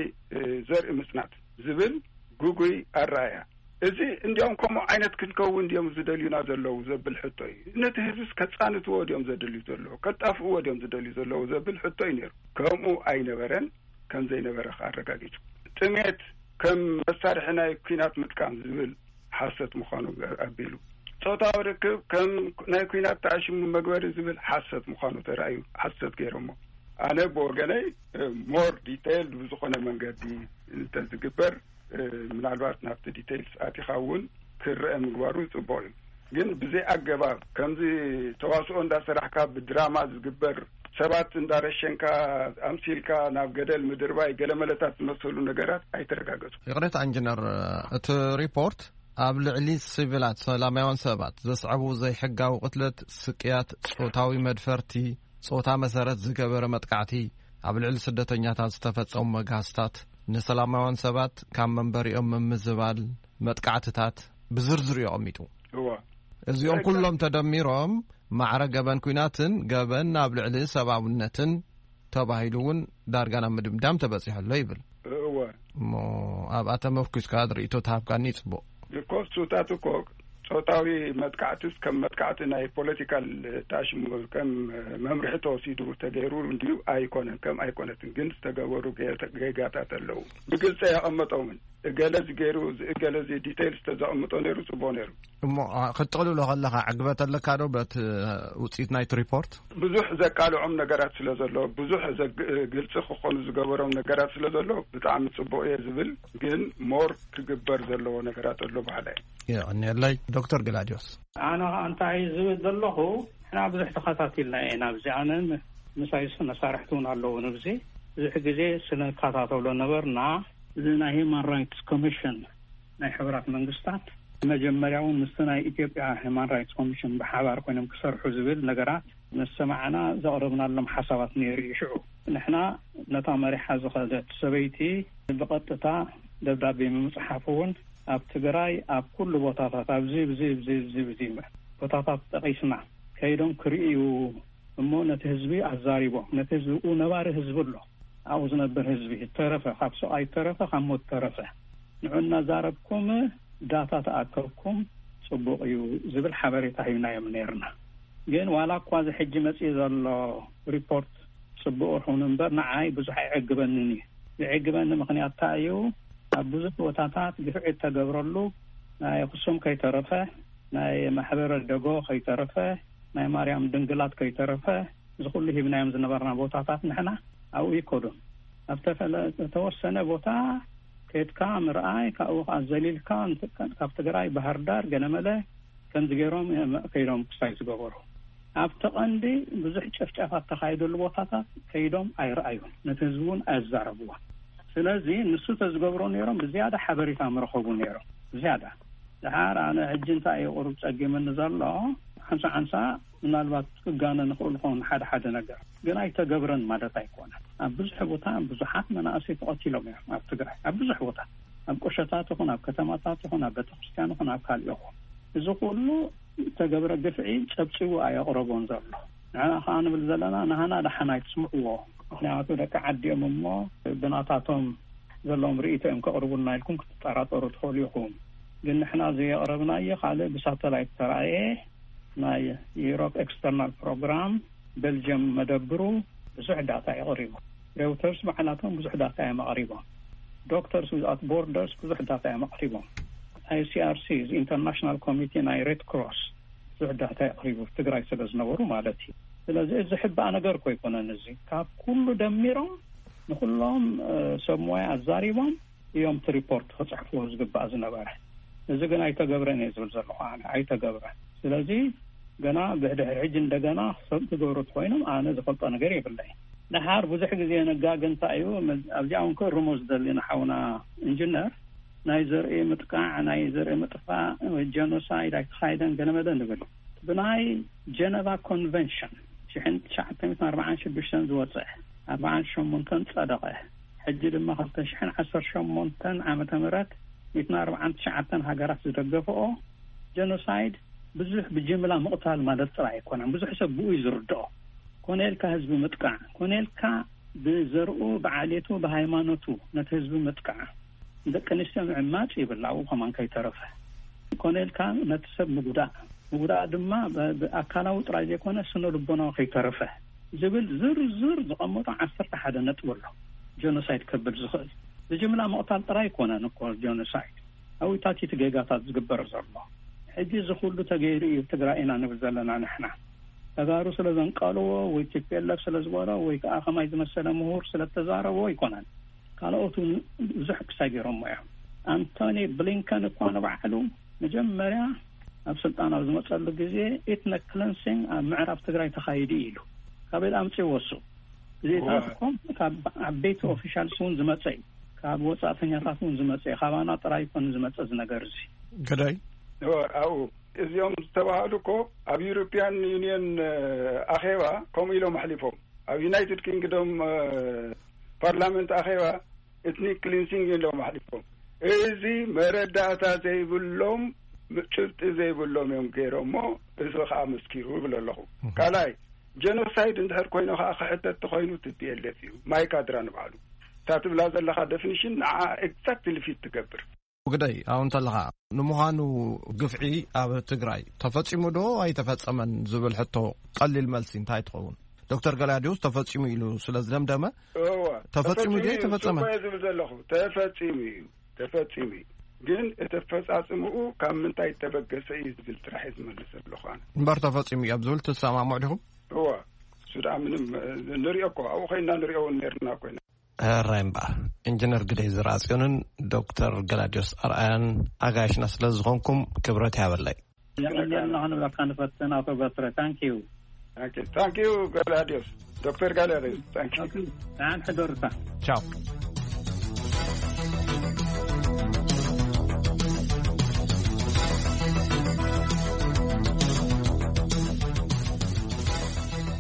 ዘርኢ ምጽናት ዝብል ግጉይ ኣረኣያ፣ እዚ እንዲያውም ከምኡ ዓይነት ክንከውን ድዮም ዝደልዩና ዘለዉ ዘብል ሕቶ እዩ። ነቲ ህዝብስ ከጻንትዎ ድዮም ዘድልዩ ዘለዉ፣ ከጣፍእዎ ድዮም ዝደልዩ ዘለዉ ዘብል ሕቶ እዩ ነይሩ። ከምኡ ኣይነበረን፣ ከም ዘይነበረ ከኣ ኣረጋጊጹ። ጥሜት ከም መሳርሒ ናይ ኲናት ምጥቃም ዝብል ሓሰት ምዃኑ ኣቢሉ፣ ጾታዊ ርክብ ከም ናይ ኲናት ተኣሽሙ መግበሪ ዝብል ሓሰት ምዃኑ ተራእዩ፣ ሓሰት ገይሮሞ። ኣነ ብወገነይ ሞር ዲቴይልድ ብዝኾነ መንገዲ እንተዝግበር፣ ምናልባት ናብቲ ዲቴይልስ ኣቲኻ እውን ክረአ ምግባሩ ጽቡቕ እዩ። ግን ብዘይ ኣገባብ ከምዚ ተዋስኦ እንዳሰራሕካ፣ ብድራማ ዝግበር፣ ሰባት እንዳረሸንካ ኣምሲልካ ናብ ገደል ምድርባይ፣ ገለመለታት ዝመሰሉ ነገራት ኣይተረጋገጹ። ይቕሬታ ኢንጂነር፣ እቲ ሪፖርት ኣብ ልዕሊ ሲቪላት ሰላማውያን ሰባት ዘስዕቡ ዘይሕጋዊ ቅትለት፣ ስቅያት፣ ጾታዊ መድፈርቲ፣ ጾታ መሰረት ዝገበረ መጥቃዕቲ፣ ኣብ ልዕሊ ስደተኛታት ዝተፈጸሙ መግሃስታት፣ ንሰላማውያን ሰባት ካብ መንበሪኦም ምምዝባል፣ መጥቃዕትታት ብዝርዝር እዩ ኣቐሚጡ። እዋ። እዚኦም እዛ ኩሎም ተደሚሮም ማዕረ ገበን ኲናትን ገበን ኣብ ልዕሊ ሰብኣውነትን ተባሂሉ እውን ዳርጋ ናብ ምድምዳም ተበጺሑ ኣሎ ይብል። እወ። እሞ ኣብኣ ተመርኲስካ ርእይቶ ተሃብካኒ ጽቡቕ። እኮ እሱታት እኮ ጾታዊ መጥቃዕትስ ከም መጥቃዕቲ ናይ ፖለቲካል ታሽሙ ከም መምርሒ ተወሲዱ ተገይሩ እንድዩ ኣይኮነን፣ ከም ኣይኮነትን ግን ዝተገበሩ ገ-፣ ጌጋታት ኣለዉ። ብግልጺ ኣየቐመጦምን። እገለ እዚ ገይሩ፣ እዚ እገለ እዚ ዲቴይልስ ተዘቐምጦ ነይሩ፣ ጽቡቕ ነይሩ። እሞ፣ አ፣ ክትጥቕልሎ ከለኻ ዕግበት ኣለካ ዶ በቲ ውጽኢት ናይቲ ሪፖርት? ብዙሕ ዘቃልዖም ነገራት ስለ ዘሎ፣ ብዙሕ ዘግ-፣ ግልጺ ክኾኑ ዝገበሮም ነገራት ስለ ዘሎ፣ ብጣዕሚ ጽቡቕ እየ ዝብል፣ ግን ሞር ክግበር ዘለዎ ነገራት ኣሎ በሃላይ። የቐንየለይ። ዶክተር ግላድዮስ። ኣነ ኸኣ እንታይ ዝብል ዘለኹ፣ ንሕና ብዙሕ ተኸታቲልና ኢና ኣብዚ። ኣነን ምሳይ መሳርሕቲ እውን ኣለዉ ንብዚ። ብዙሕ ግዜ ስንከታተሎ ነበርና። እዚ ናይ ሂማን ራይትስ ኮሚሽን ናይ ሕቡራት መንግስታት መጀመርያ እውን ምስቲ ናይ ኢትዮጵያ ሂማን ራይትስ ኮሚሽን ብሓባር ኮይኖም ክሰርሑ ዝብል ነገራት ምስ ሰማዕና ዘቕረብናሎም ሓሳባት ነይሩ እዩ። ሽዑ ንሕና ነታ መሪሓ ዝኸደት ሰበይቲ ብቐጥታ ደብዳቤ ምምጽሓፍ እውን ኣብ ትግራይ ኣብ ኩሉ ቦታታት ኣብዚ፣ ብዚ፣ ብዚ፣ ብዚ፣ ብዚ ቦታታት ጠቒስና ከይዶም ክርእዩ እሞ ነቲ ህዝቢ ኣዛሪቦም፣ ነቲ ህዝቢ፣ ኡ ነባሪ ህዝቢ ኣሎ፣ ኣብኡ ዝነብር ህዝቢ፣ ተረፈ፣ ካብ ስቓይ ተረፈ፣ ካብ ሞት ተረፈ፣ ንዑ እናዛረብኩም ዳታ ተኣከብኩም ጽቡቕ እዩ ዝብል ሓበሬታ ሂብናዮም ነይርና። ግን ዋላ እኳ እዚ ሕጂ መጺኡ ዘሎ ሪፖርት ጽቡቕ ይኹን እምበር፣ ንዓይ ብዙሕ ኣይዕግበንን እዩ። ዝዕግበኒ ምኽንያት እንታይ እዩ? ኣብ ብዙሕ ቦታታት ግፍዒ እተገብረሉ፣ ናይ ኣኽሱም ከይተረፈ፣ ናይ ማሕበረ ደጎ ከይተረፈ፣ ናይ ማርያም ድንግላት ከይተረፈ፣ እዚ ኩሉ ሂብናዮም ዝነበርና ቦታታት ንሕና ኣብኡ ይከዱን። ኣብ ተፈለ-፣ ዝተወሰነ ቦታ ከድካ ምርኣይ፣ ካብኡ ከኣ ዘሊልካ ንትቀ-፣ ካብ ትግራይ ባህር ዳር ገለመለ ከምዚ ገይሮም እዮም ከይዶም ክሳይ ዝገበሩ። ኣብቲ ቀንዲ ብዙሕ ጨፍጫፋት ተኻይደሉ ቦታታት ከይዶም ኣይረኣዩን፣ ነቲ ህዝቢ እውን ኣየዛረብዎን። ስለዚ ንሱ ተዝገብሮ ነይሮም ብዝያዳ ሓበሬታ ምረኸቡ ነይሮም፣ ብዝያዳ። ድሓር ኣነ ሕጂ እንታይ እዩ ቁሩብ ጸጊምኒ ዘሎ፣ ሓንሳ ሓንሳ ምናልባት ክጋነ ንኽእል ኸውን ሓደ ሓደ ነገር፣ ግን ኣይተገብረን ማለት ኣይኮነን። ኣብ ብዙሕ ቦታ ብዙሓት መናእሰይ ተቐቲሎም እዮም ኣብ ትግራይ፣ ኣብ ብዙሕ ቦታ፣ ኣብ ቁሸታት ይኹን፣ ኣብ ከተማታት ይኹን፣ ኣብ ቤተክርስትያን ይኹን፣ ኣብ ካልእ ይኹን። እዚ ኩሉ ዝተገብረ ግፍዒ ጸብጺቡ ኣየቕረቦን ዘሎ። ንሕና ከኣ ንብል ዘለና፣ ናህና ደሓን ኣይትስምዕዎ። ምኽንያቱ ደቂ ዓዲ እዮም እሞ ብናታቶም ዘለዎም ርእይቶ እዮም ከቕርቡልና ኢልኩም ክትጠራጠሩ ትኽእሉ ኢኹም። ግን ንሕና ዘየቕረብናዮ ካልእ ብሳተላይት ተራእየ ናይ ዩሮፕ ኤክስተርናል ፕሮግራም ቤልጅየም መደብሩ ብዙሕ ዳታ የቕሪቡ። ሬውተርስ ባዕላቶም ብዙሕ ዳታ እዮም ኣቕሪቦም። ዶክተርስ ዊዛውት ቦርደርስ ብዙሕ ዳታ እዮም ኣቕሪቦም። ኣይሲኣርሲ፣ ኢንተርናሽናል ኮሚቴ ናይ ሬድ ክሮስ፣ ብዙሕ ዳታ የቕሪቡ፣ ትግራይ ስለ ዝነበሩ ማለት እዩ። ስለዚ እዚ ሕባእ ነገር እኮ ኣይኮነን። እዚ ካብ ኩሉ ደሚሮም ንኩሎም ሰብ ሞያ ኣዛሪቦም እዮም እቲ ሪፖርት ክፅሕፍዎ ዝግባእ ዝነበረ። እዚ ግን ኣይተገብረን እየ ዝብል ዘለኹ ኣነ፣ ኣይተገብረን። ስለዚ ገና ብድሕሪ ሕጂ እንደገና ሰብ ክገብሩ እንተኮይኖም ኣነ ዝፈልጦ ነገር የብለይ። ደሓር ብዙሕ ግዜ ነጋግ እንታይ እዩ፣ ኣብዚኣ እውን ክእርሞ ዝደሊ ንሓውና ኢንጂነር፣ ናይ ዘርኢ ምጥቃዕ፣ ናይ ዘርኢ ምጥፋእ ወይ ጀኖሳይድ ኣይተኻይደን ገለመለ ንብል። ብናይ ጀነቫ ኮንቨንሽን ሽሕን ትሽዓተ ሚእትን ኣርባዓን ሽዱሽተን ዝወፀ፣ ኣርባዓን ሸሞንተን ጸደቐ። ሕጂ ድማ ክልተ ሽሕን ዓሰርተ ሸሞንተን ዓመተ ምህረት ሚእትን ኣርባዓን ትሽዓተን ሃገራት ዝደገፈኦ ጀኖሳይድ ብዙሕ ብጅምላ ምቕታል ማለት ጥራይ ኣይኮነን። ብዙሕ ሰብ ብኡ እዩ ዝርድኦ። ኮነ ኢልካ ህዝቢ ምጥቃዕ፣ ኮነ ኢልካ ብዘርኡ ብዓሌቱ ብሃይማኖቱ ነቲ ህዝቢ ምጥቃዕ፣ ንደቂ ኣንስትዮ ምዕማጽ ይብል ኣብኡ ከማን ከይተረፈ። ኮነ ኢልካ ነቲ ሰብ ምጉዳእ፣ ምጉዳእ ድማ ብ- ብኣካላዊ ጥራይ ዘይኮነ ስነ ልቦናዊ ከይተረፈ ዝብል ዝርዝር ዝቐመጦ ዓሰርተ ሓደ ነጥቢ ኣሎ። ጀኖሳይድ ከብል ዝኽእል ብጅምላ ምቕታል ጥራይ ኣይኮነን እኮ ጀኖሳይድ። ኣብታቲቲ ጌጋታት ዝግበር ዘሎ። ሕጂ እዚ ኩሉ ተገይሩ እዩ ትግራይ ኢና ንብል ዘለና ንሕና። ተጋሩ ስለ ዘንቀልዎ ወይ ቲፒኤልኤፍ ስለ ዝበሎ ወይ ከዓ ከማይ ዝመሰለ ምሁር ስለ ተዛረቦ ኣይኮነን። ካልኦት እውን ብዙሕ ክሳይ ገይሮሞ እዮም። ኣንቶኒ ብሊንከን እኳ ንባዕሉ መጀመርያ ኣብ ስልጣን ኣብ ዝመፀሉ ግዜ ኢትኒክ ክለንሲንግ ኣብ ምዕራብ ትግራይ ተኻይዱ ኢሉ። ካበይ ኣምፅእዎ እሱ? እዚታት እኮ ካብ ዓበይቲ ኦፊሻልስ እውን ዝመፀ እዩ። ካብ ወፃእተኛታት እውን ዝመፀ እዩ። ካባና ጥራይ ይኮን ዝመፀ እዚ ነገር እዚ። ገዳይ እወ፣ ኣብኡ እዚኦም ዝተባህሉ እኮ ኣብ ዩሮፒያን ዩኒየን ኣኼባ ከምኡ ኢሎም ኣሕሊፎም። ኣብ ዩናይትድ ኪንግዶም ፓርላመንት ኣኼባ ኤትኒክ ክሊንሲንግ ኢሎም ኣሕሊፎም። እዚ መረዳእታ ዘይብሎም፣ ጭብጢ ዘይብሎም እዮም ገይሮሞ። እዚ ከዓ መስኪሩ ይብል ኣለኹ። ካልኣይ፣ ጀኖሳይድ እንድሕር ኮይኑ ከዓ ክሕተት ተኮይኑ ቲ ፒ ኤል ኤፍ እዩ። ማይካድራ ንባዕሉ እታ ትብላ ዘለካ ደፊኒሽን ንዓ ኤግዛክትሊ ፊት ትገብር። ግደይ፣ ኣብኡ እንተለኻ፣ ንምዃኑ ግፍዒ ኣብ ትግራይ ተፈጺሙ ዶ ኣይተፈጸመን ዝብል ሕቶ ቀሊል መልሲ እንታይ ትኸውን? ዶክተር ገላዲዮስ ተፈጺሙ ኢሉ ስለ ዝደምደመ፣ እወ፣ ተፈጺሙ ድዩ ተፈጺሙ እዩ ኣይተፈጸመን? እኮ እየ ዝብል ዘለኹ። ተፈጺሙ እዩ፣ ተፈጺሙ እዩ። ግን እቲ ኣፈጻጽምኡ ካብ ምንታይ ተበገሰ እዩ ዝብል ጥራሕ እየ ዝመልስ ዘለኹ ኣነ። እምበር ተፈጺሙ እዩ ኣብ ዝብል ትሰማምዑ ዲኹም? እወ፣ እሱ ደኣ ምንም፣ እ፣ ንሪኦ እኮ፣ ኣብኡ ኮይንና ንሪኦ እውን ነርና ኮይና። ሕራይ እምበኣር፣ ኢንጂነር ግደይ ዝርኣጽዮንን ዶክተር ገላድዮስ ኣርኣያን ኣጋይሽና ስለ ዝኾንኩም ክብረት ይሃበለይ። የቐንየልና ክንብለካ ንፈትን ኣቶ በትረ። ታንኪዩ። ታንኪዩ፣ ታንኪዩ ገላድዮስ፣ ዶክተር ገላድዮስ፣ ታንኪዩ። ደሓን ሕደሩታ። ቻው።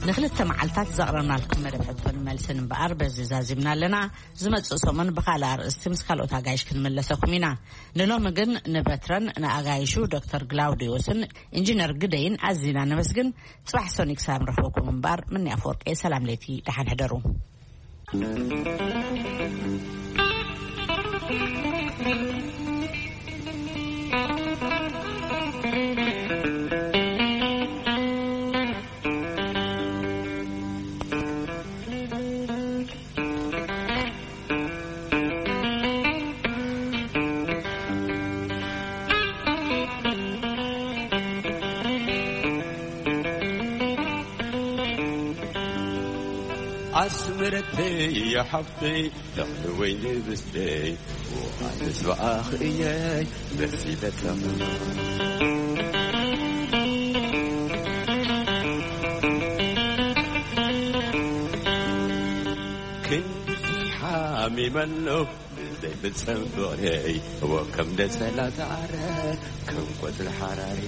ንክልተ መዓልታት ዘቕረብናልኩም መደብ ሕቶን መልስን እምበኣር በዚ ዛዚምና ኣለና። ዝመጽእ ሰሙን ብኻልእ ኣርእስቲ ምስ ካልኦት ኣጋይሽ ክንምለሰኩም ኢና። ንሎሚ ግን ንበትረን ንኣጋይሹ ዶክተር ግላውዲዮስን ኢንጂነር ግደይን ኣዚና ነመስግን። ጽባሕ ሰኑይ ክሳብ ንረኽበኩም እምበኣር፣ ምንያ ኣፈወርቂ፣ ሰላም ለይቲ፣ ደሓን ሕደሩ። ኣስመረተይ ሓፍተይ፣ ተኽሊ ወይኒ ብስተይ፣ ውሃ ምስባኣኽ እየይ መሲለተም። ክንድዚ ሓሚመ ኣለኹ ብዘይፍጸም ፍቕረይ፣ እወ ከም ደሰላ ዝዓረ ከም ቆጽሊ ሓራሪ።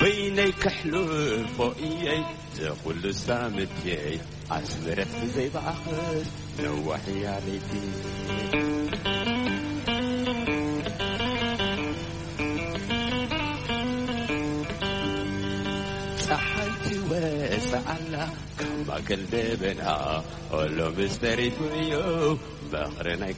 በይነይ ከሕልፎ እየይ ዘኹሉ ሳምትየይ፣ ኣስመረት ብዘይ ባእኽስ ነዋሕ እያ ለይቲ። ጸሓይ ትወጽእ ኣላ ካብ ክልብና ኩሉ ምስ ተሪፉ እዩ። በኽሪ ናይ